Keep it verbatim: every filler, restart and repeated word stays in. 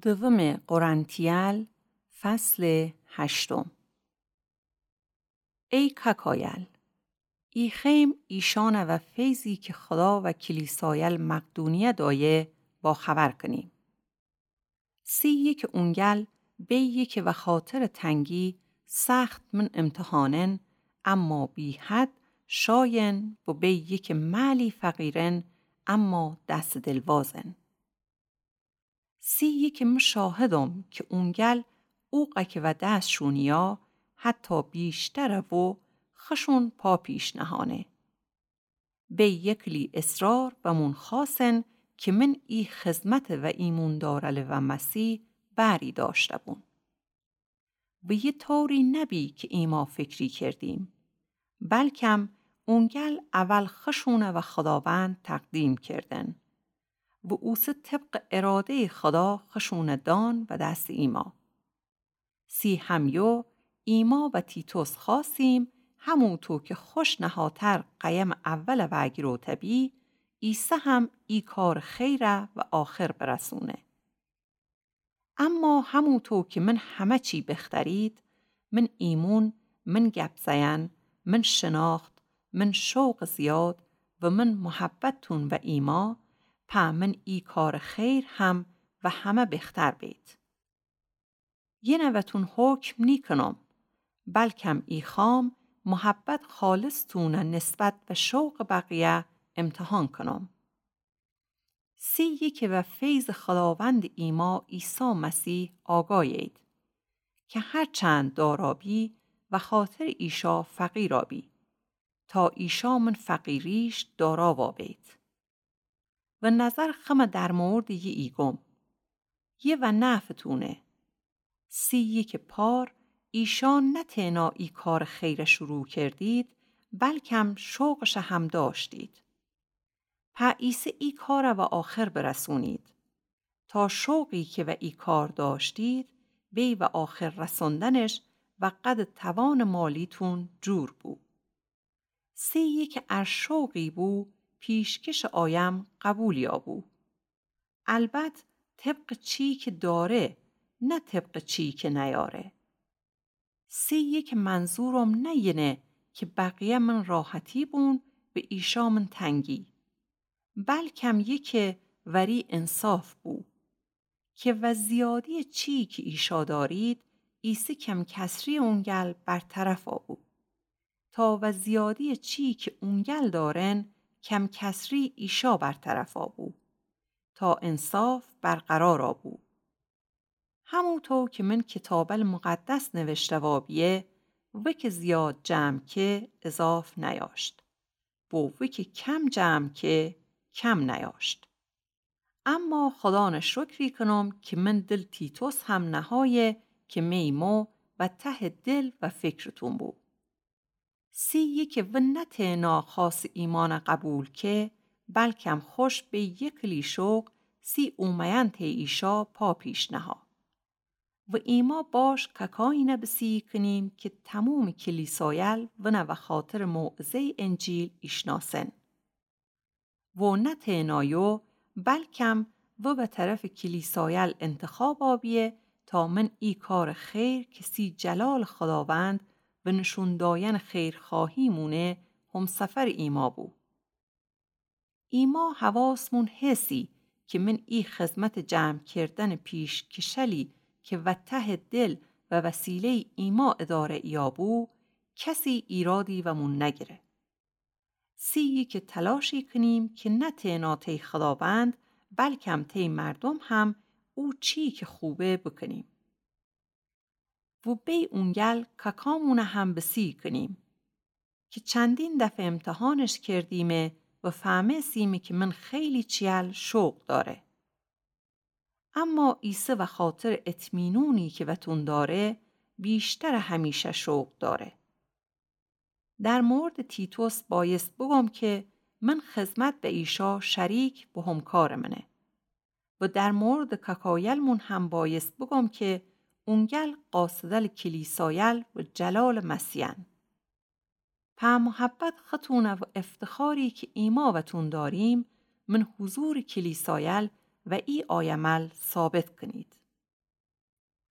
دومٚ قرنتیل، فصلٚ هشتم. ای کاکایل، ایخیم ایشانَ و فیضی کی خدا و کلیسایل مقدونیه دأیه باخبر کنیم. سی یکٚ اونگل بیه کی وخاطرٚ تنگی سخت من امتحانن، اما بی‌حد شایین و بیه کی معلی فقیرن، اما دس دلوازن. سی یکٚ من شاهدم کی اونگل اوقه کی و دس شونیا حتی بیشتره و خشون پا پیش نهانه. بی یکلی اصرار بمون خوأسن کی من ای خدمت و ایمون دارله و مسیح بری دأشته‌بون. و یه طوری نبی کی ایما فکری کردیم، بلکم اونگل اول خشونَ و خداوند تقدیم کردن و اوسه طبقٚ اراده‌یٚ خدا خشونَ دان و دستٚ ایما. سی همیو ایما و تیتوس خوأسیم، هموطو کی خوش نهاتر قیمٚ اولَ وأگیروته‌بی، ایسه هم ای کارٚ خیرَ و آخر برسونه. اما هموطو کی من همه چی بخترید، من ایمون، من گپ زئن، من شناخت، من شوقٚ زیاد و من محبتتون و ایما، په من ای کارٚ خیر هم و همه بختر بید. یینه وأتون حکم نیکنم، بلکم ایخوام محبت خالصتونَ نسبت به شوقٚ بقیه امتحان کنم. سی یکٚ و فیضٚ خداوندٚ ایما عیسی مسیح آگایید کی هرچند دارا بی، وخاطرٚ ایشا فقیرا بی، تا ایشا من فقیریش دارا وأبید. و نظر خومه در موردٚ یه ایگم، یه و نفعتونه. سی یکٚ پار ایشا نه تنها ای کارٚ خیرَ شروع کردید، بلکم شوقشَ هم دأشتید. په ایسه ای کارَ و آخر برسونید، تا شوقی کی و ای کار دأشتید، بی و آخر رسندنش و قدٚ توانٚ مالیتون جور بو. سی یکٚ ار شوقی بو، پیشکشٚ آیم قبول یابو. البت طبقٚ چی کی داره، نه طبقٚ چی کی نیاره. سی یکٚ منظورم نه یینه کی بقیه من راحتی بون و ایشا من تنگی، بلکم یکه وری انصاف بو. کی و زیادیٚ چی کی ایشا دارید، ایسه کم‌کسریٚ اونگل برطرفا بو، تا و زیادیٚ چی کی اونگل دارن، کم‌کسریٚ ایشا برطرفا بو، تا انصاف برقرارا بو. هموطو کی من کیتابٚ مقدس نوشته وابیه، وکه زیاد جمع که اضاف نیاشت، و وکه کم جمع که کم نیاشت. اما خدانٚ شکری کنم کی من دلٚ تیتوس هم نهایه کی می مو و تهٚ دل و فکرتون بو. سی یکٚ و نه تنها خاصٚ ایمانَ قبول که، بلکم خوش به یکلی شوق سی اومه‌ین تی ایشا پا پیش نها. و ایما باش ککایینَ بسیی کنیم کی تمومٚ کلیسایل ونَ وخاطرٚ موعظه‌یٚ انجیل ایشناسن. و نه تنها یو، بلکم و به طرفٚ کلیسایل انتخابا بیه تا من ای کارٚ خیر کی سی جلالٚ خداوند و نشون داینٚ خیرخواهی مونه همسفرٚ ایما بو. ایما حواسمون هسی کی من ای خدمتٚ جمع کردنٚ پیشکشلی کی و تهٚ دل و وسیله‌یٚ ایما اداره ایابو، کسی ایرادی ومون نگیره. سی یکٚ تلاشی کنیم کی نه تنها تی خداوند، بلکم تی مردم هم او چی کی خوبه بکنیم. و بی اونگل کاکامونَ هم بسی کنیم کی چندین دفعه امتحانش کردیمه و فهمستیمه کی من خیلی چیل شوق داره. اما ایسه وخاطرٚ اطمینونی کی وتون داره، ویشترٚ همیشه شوق داره. در موردٚ تیتوس بایست بگم کی من خدمت به ایشا شریک و همکارٚ منه. و در موردٚ کاکایلمون هم بایست بگم کی اونگل قاصدلٚ کلیسایل و جلالٚ مسیحن. په محبت خوتونَ و افتخاری کی ایما وتون داریم، من حضورٚ کلیسایل و ای آیمل ثابت کنید.